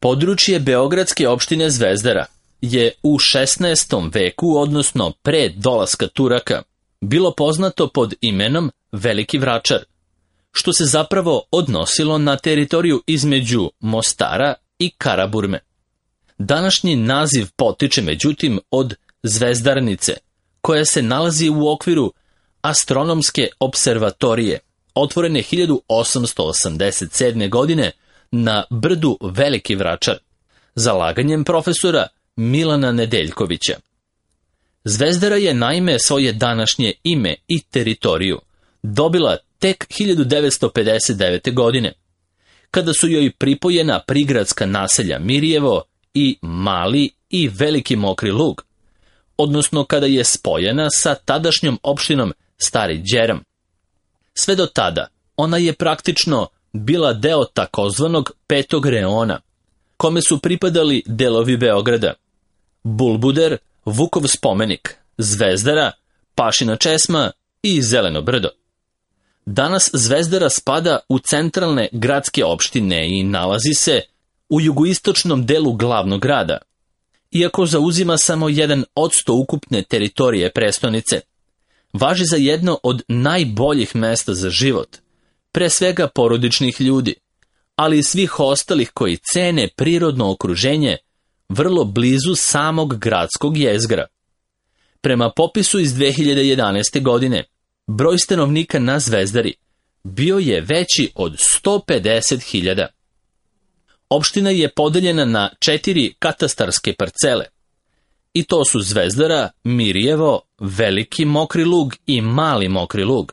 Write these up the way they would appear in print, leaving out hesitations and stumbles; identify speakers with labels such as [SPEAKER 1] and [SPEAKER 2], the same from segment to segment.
[SPEAKER 1] Područje beogradske opštine Zvezdara je u 16. veku, odnosno pre dolaska Turaka, bilo poznato pod imenom Veliki Vračar, što se zapravo odnosilo na teritoriju između Mostara i Karaburme. Današnji naziv potiče međutim od Zvezdarnice, koja se nalazi u okviru astronomske observatorije, otvorene 1887. godine na brdu Veliki Vračar, zalaganjem profesora Milana Nedeljkovića. Zvezdara je naime svoje današnje ime i teritoriju dobila tek 1959. godine, kada su joj pripojena prigradska naselja Mirjevo i Mali i Veliki Mokri Lug, odnosno kada je spojena sa tadašnjom opštinom Stari Đeram. Sve do tada ona je praktično bila deo takozvanog Petog reona, kome su pripadali delovi Beograda: Bulbuder, Vukov spomenik, Zvezdara, Pašina česma i Zeleno brdo. Danas Zvezdara spada u centralne gradske opštine i nalazi se u jugoistočnom delu glavnog grada. Iako zauzima samo 1% ukupne teritorije prestonice, važi za jedno od najboljih mesta za život, pre svega porodičnih ljudi, ali i svih ostalih koji cene prirodno okruženje vrlo blizu samog gradskog jezgra. Prema popisu iz 2011. godine, broj stanovnika na Zvezdari bio je veći od 150.000. Opština je podeljena na 4 katastarske parcele, i to su Zvezdara, Mirjevo, Veliki Mokri Lug i Mali Mokri Lug.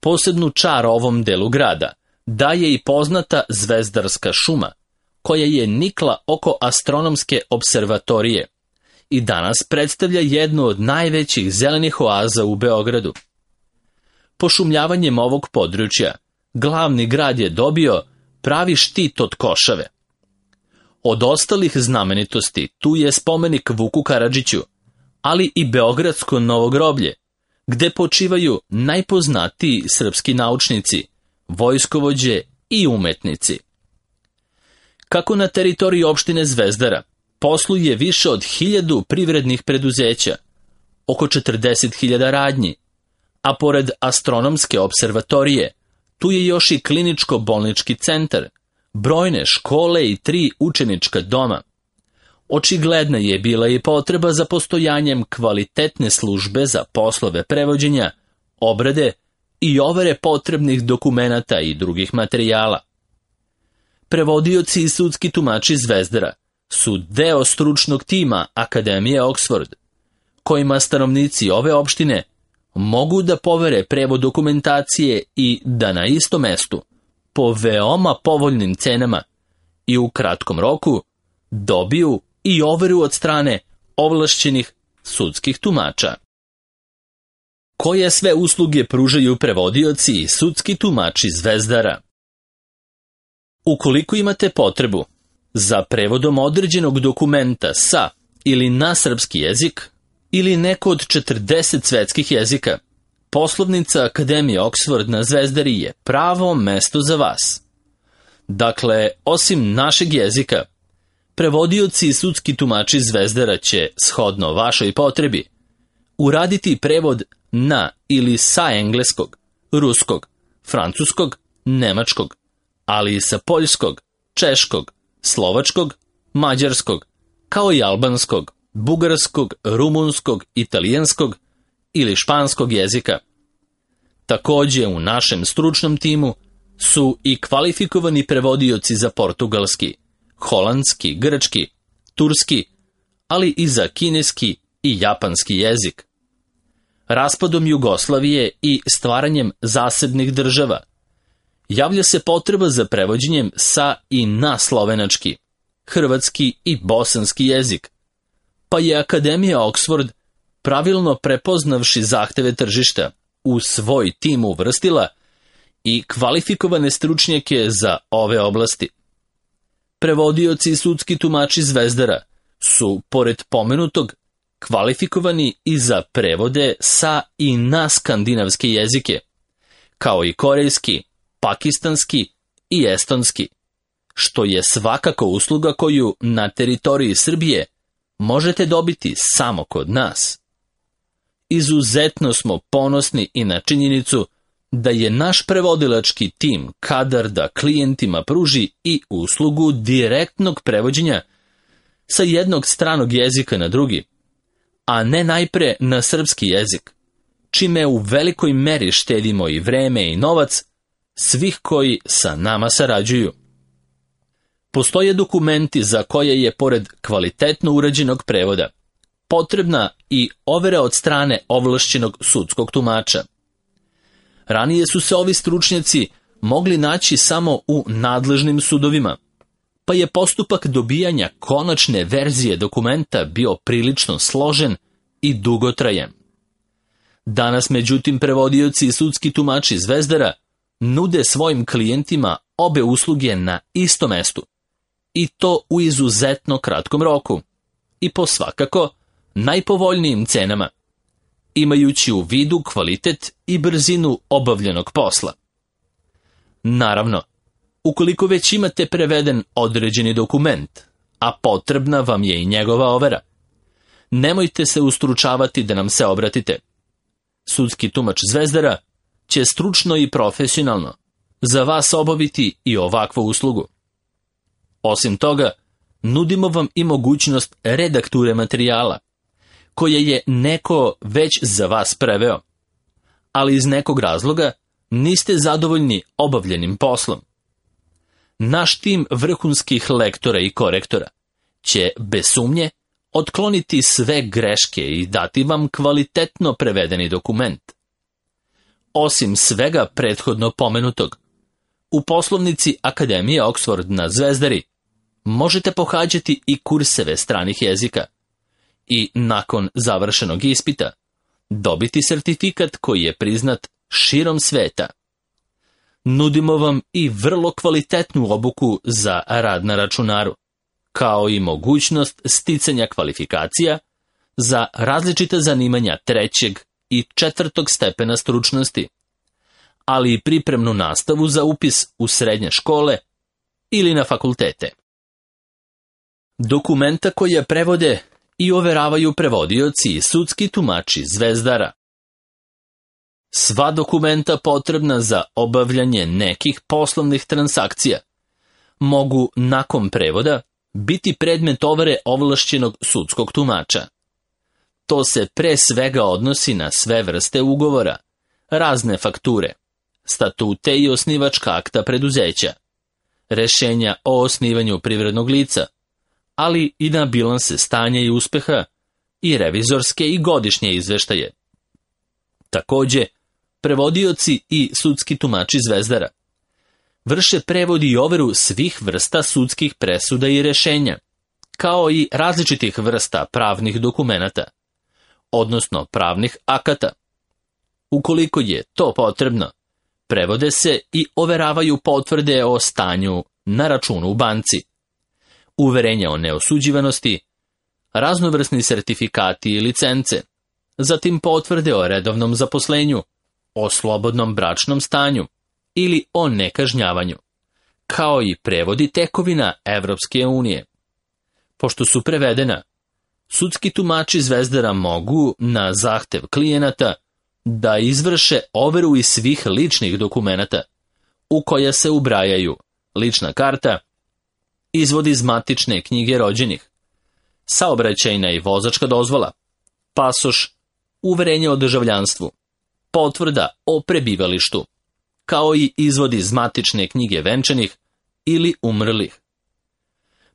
[SPEAKER 1] Posebnu čar ovom delu grada daje i poznata Zvezdarska šuma, koja je nikla oko astronomske observatorije i danas predstavlja jednu od najvećih zelenih oaza u Beogradu. Pošumljavanjem ovog područja, glavni grad je dobio pravi štit od košave. Od ostalih znamenitosti tu je spomenik Vuku Karadžiću, ali i Beogradsko novo groblje, gde počivaju najpoznatiji srpski naučnici, vojskovođe i umetnici. Kako na teritoriji opštine Zvezdara posluje više od 1000 privrednih preduzeća, oko 40.000 radnji, a pored astronomske observatorije, tu je još i kliničko-bolnički centar, brojne škole i 3 učenička doma. Očigledna je bila i potreba za postojanjem kvalitetne službe za poslove prevođenja, obrade i overe potrebnih dokumenata i drugih materijala. Prevodioci i sudski tumači Zvezdara su deo stručnog tima Akademije Oxford, kojima stanovnici ove opštine mogu da povere prevod dokumentacije i da na istom mestu, po veoma povoljnim cenama i u kratkom roku, dobiju i overu od strane ovlašćenih sudskih tumača. Koje sve usluge pružaju prevodioci i sudski tumači Zvezdara? Ukoliko imate potrebu za prevodom određenog dokumenta sa ili na srpski jezik ili neko od 40 svetskih jezika, poslovnica Akademije Oxford na Zvezdari je pravo mesto za vas. Dakle, osim našeg jezika, prevodioci i sudski tumači Zvezdara će, shodno vašoj potrebi, uraditi prevod na ili sa engleskog, ruskog, francuskog, nemačkog, ali i sa poljskog, češkog, slovačkog, mađarskog, kao i albanskog, bugarskog, rumunskog, italijanskog ili španskog jezika. Takođe u našem stručnom timu su i kvalifikovani prevodioci za portugalski, holandski, grčki, turski, ali i za kineski i japanski jezik. Raspadom Jugoslavije i stvaranjem zasebnih država javlja se potreba za prevođenjem sa i na slovenački, hrvatski i bosanski jezik, pa je Akademija Oxford, pravilno prepoznavši zahteve tržišta, u svoj tim uvrstila i kvalifikovane stručnjake za ove oblasti. Prevodioci i sudski tumači Zvezdara su, pored pomenutog, kvalifikovani i za prevode sa i na skandinavske jezike, kao i korejski, pakistanski i estonski, što je svakako usluga koju na teritoriji Srbije možete dobiti samo kod nas. Izuzetno smo ponosni i na činjenicu da je naš prevodilački tim kadar da klijentima pruži i uslugu direktnog prevođenja sa jednog stranog jezika na drugi, a ne najpre na srpski jezik, čime u velikoj meri štedimo i vreme i novac svih koji sa nama sarađuju. Postoje dokumenti za koje je, pored kvalitetno urađenog prevoda, potrebna i overa od strane ovlašćenog sudskog tumača. Ranije su se ovi stručnjaci mogli naći samo u nadležnim sudovima, pa je postupak dobijanja konačne verzije dokumenta bio prilično složen i dugotrajan. Danas, međutim, prevodioci i sudski tumači Zvezdara nude svojim klijentima obe usluge na istom mestu, i to u izuzetno kratkom roku i po svakako najpovoljnijim cenama, imajući u vidu kvalitet i brzinu obavljenog posla. Naravno, ukoliko već imate preveden određeni dokument, a potrebna vam je i njegova overa, nemojte se ustručavati da nam se obratite. Sudski tumač Zvezdara će stručno i profesionalno za vas obaviti i ovakvu uslugu. Osim toga, nudimo vam i mogućnost redakture materijala, koje je neko već za vas preveo, ali iz nekog razloga niste zadovoljni obavljenim poslom. Naš tim vrhunskih lektora i korektora će, bez sumnje, otkloniti sve greške i dati vam kvalitetno prevedeni dokument. Osim svega prethodno pomenutog, u poslovnici Akademije Oxford na Zvezdari možete pohađati i kurseve stranih jezika i nakon završenog ispita dobiti sertifikat koji je priznat širom sveta. Nudimo vam i vrlo kvalitetnu obuku za rad na računaru, kao i mogućnost sticanja kvalifikacija za različita zanimanja 3. i 4. stepena stručnosti, ali i pripremnu nastavu za upis u srednje škole ili na fakultete. Dokumenta koje prevode i overavaju prevodioci i sudski tumači Zvezdara. Sva dokumenta potrebna za obavljanje nekih poslovnih transakcija mogu nakon prevoda biti predmet overe ovlašćenog sudskog tumača. To se pre svega odnosi na sve vrste ugovora, razne fakture, statute i osnivačka akta preduzeća, rešenja o osnivanju privrednog lica, ali i na bilanse stanja i uspeha i revizorske i godišnje izveštaje. Takođe, prevodioci i sudski tumači Zvezdara vrše prevod i overu svih vrsta sudskih presuda i rešenja, kao i različitih vrsta pravnih dokumenata, odnosno pravnih akata. Ukoliko je to potrebno, prevode se i overavaju potvrde o stanju na računu u banci, uverenja o neosuđivanosti, raznovrsni sertifikati i licence, zatim potvrde o redovnom zaposlenju, o slobodnom bračnom stanju ili o nekažnjavanju, kao i prevodi tekovina Evropske unije. Pošto su prevedena, sudski tumači Zvezdara mogu, na zahtev klijenata, da izvrše overu iz svih ličnih dokumenata, u koja se ubrajaju lična karta, izvod iz matične knjige rođenih, saobraćajna i vozačka dozvola, pasoš, uverenje o državljanstvu, potvrda o prebivalištu, kao i izvod iz matične knjige venčanih ili umrlih.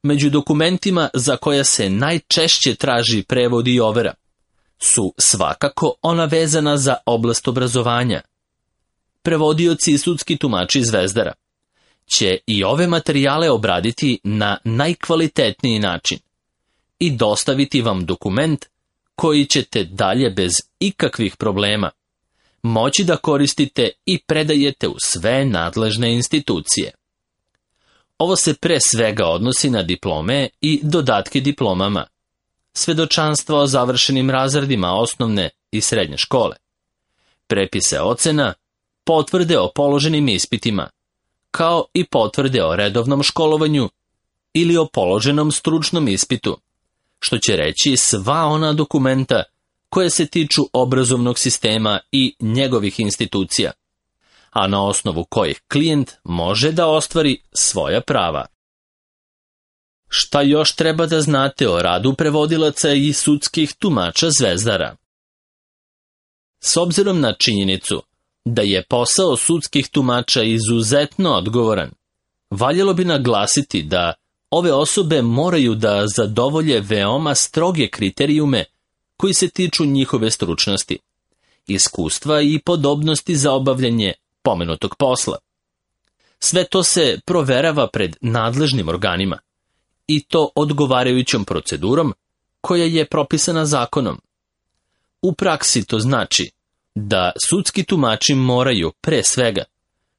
[SPEAKER 1] Među dokumentima za koja se najčešće traži prevod i overa su svakako ona vezana za oblast obrazovanja. Prevodioci i sudski tumači Zvezdara će i ove materijale obraditi na najkvalitetniji način i dostaviti vam dokument koji ćete dalje bez ikakvih problema moći da koristite i predajete u sve nadležne institucije. Ovo se pre svega odnosi na diplome i dodatke diplomama, svedočanstva o završenim razredima osnovne i srednje škole, prepise ocena, potvrde o položenim ispitima, kao i potvrde o redovnom školovanju ili o položenom stručnom ispitu, što će reći sva ona dokumenta koje se tiču obrazovnog sistema i njegovih institucija, a na osnovu kojih klijent može da ostvari svoja prava. Šta još treba da znate o radu prevodilaca i sudskih tumača zvezdara? S obzirom na činjenicu da je posao sudskih tumača izuzetno odgovoran, valjalo bi naglasiti da ove osobe moraju da zadovolje veoma stroge kriterijume koji se tiču njihove stručnosti, iskustva i podobnosti za obavljanje pomenutog posla. Sve to se proverava pred nadležnim organima, i to odgovarajućom procedurom koja je propisana zakonom. U praksi to znači da sudski tumači moraju, pre svega,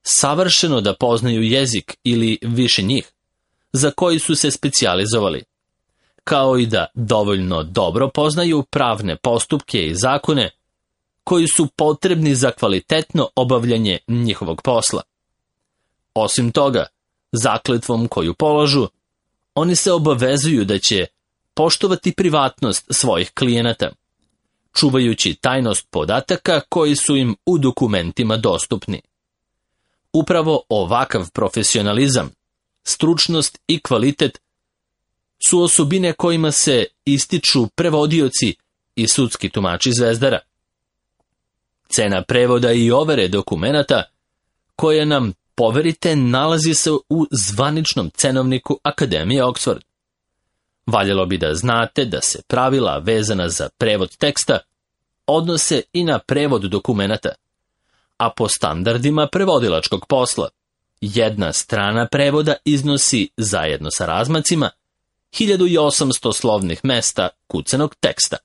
[SPEAKER 1] savršeno da poznaju jezik ili više njih, za koji su se specijalizovali, kao i da dovoljno dobro poznaju pravne postupke i zakone koji su potrebni za kvalitetno obavljanje njihovog posla. Osim toga, zakletvom koju polažu, oni se obavezuju da će poštovati privatnost svojih klijenata, čuvajući tajnost podataka koji su im u dokumentima dostupni. Upravo ovakav profesionalizam, stručnost i kvalitet su osobine kojima se ističu prevodioci i sudski tumači zvezdara. Cena prevoda i overe dokumenata koje nam poverite nalazi se u zvaničnom cenovniku Akademije Oxford. Valjalo bi da znate da se pravila vezana za prevod teksta odnose i na prevod dokumenata, a po standardima prevodilačkog posla, jedna strana prevoda iznosi, zajedno sa razmacima, 1800 slovnih mesta kucanog teksta.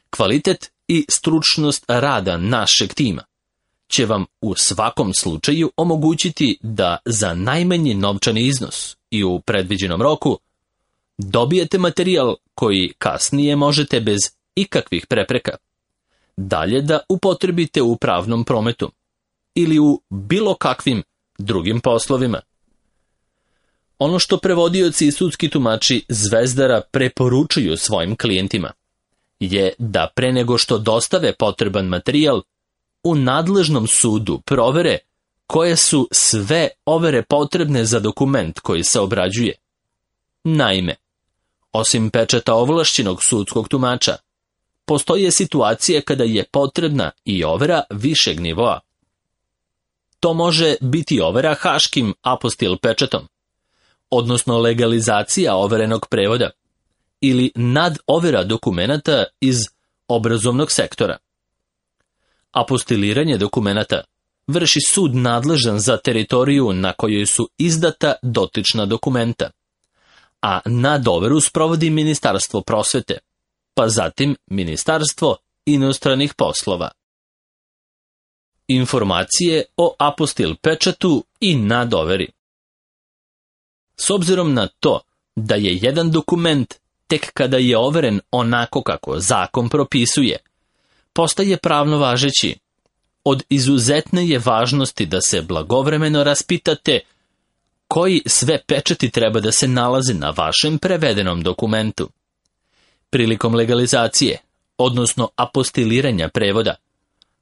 [SPEAKER 1] Kvalitet i stručnost rada našeg tima će vam u svakom slučaju omogućiti da za najmanji novčani iznos i u predviđenom roku dobijete materijal koji kasnije možete bez ikakvih prepreka dalje da upotrebite u pravnom prometu ili u bilo kakvim drugim poslovima. Ono što prevodioci i sudski tumači zvezdara preporučuju svojim klijentima je da pre nego što dostave potreban materijal, u nadležnom sudu provere koje su sve overe potrebne za dokument koji se obrađuje. Naime, osim pečata ovlašćenog sudskog tumača, postoje situacije kada je potrebna i overa višeg nivoa. To može biti overa haškim apostil pečatom, odnosno legalizacija overenog prevoda, ili nadovera dokumenata iz obrazovnog sektora. Apostiliranje dokumenata vrši sud nadležan za teritoriju na kojoj su izdata dotična dokumenta, a nadoveru sprovodi Ministarstvo prosvete, pa zatim Ministarstvo inostranih poslova. Informacije o apostil pečatu i nadoveri. S obzirom na to da je jedan dokument tek kada je overen onako kako zakon propisuje, postaje pravno važeći, od izuzetne je važnosti da se blagovremeno raspitate koji sve pečati treba da se nalaze na vašem prevedenom dokumentu. Prilikom legalizacije, odnosno apostiliranja prevoda,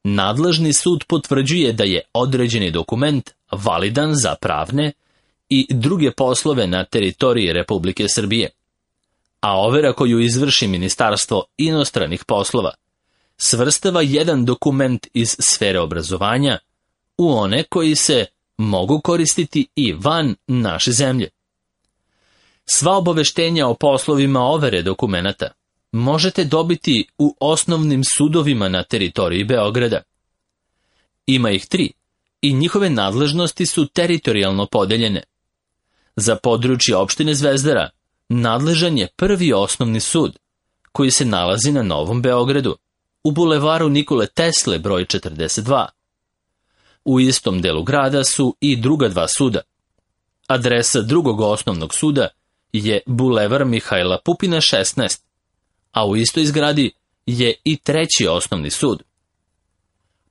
[SPEAKER 1] nadležni sud potvrđuje da je određeni dokument validan za pravne i druge poslove na teritoriji Republike Srbije, a overa koju izvrši Ministarstvo inostranih poslova svrstava jedan dokument iz sfere obrazovanja u one koji se mogu koristiti i van naše zemlje. Sva obaveštenja o poslovima overe dokumenata možete dobiti u osnovnim sudovima na teritoriji Beograda. Ima ih 3 i njihove nadležnosti su teritorijalno podeljene. Za područje opštine Zvezdara nadležan je Prvi osnovni sud, koji se nalazi na Novom Beogradu, u bulevaru Nikole Tesle broj 42. U istom delu grada su i druga 2 suda. Adresa drugog osnovnog suda je bulevar Mihajla Pupina 16, a u istoj zgradi je i 3. osnovni sud.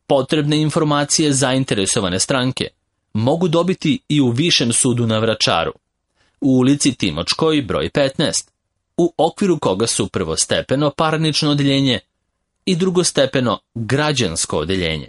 [SPEAKER 1] Potrebne informacije zainteresovane stranke mogu dobiti i u Višem sudu na Vračaru, u ulici Timočkoj broj 15, u okviru koga su prvostepeno parnično odeljenje i drugostepeno građansko odeljenje.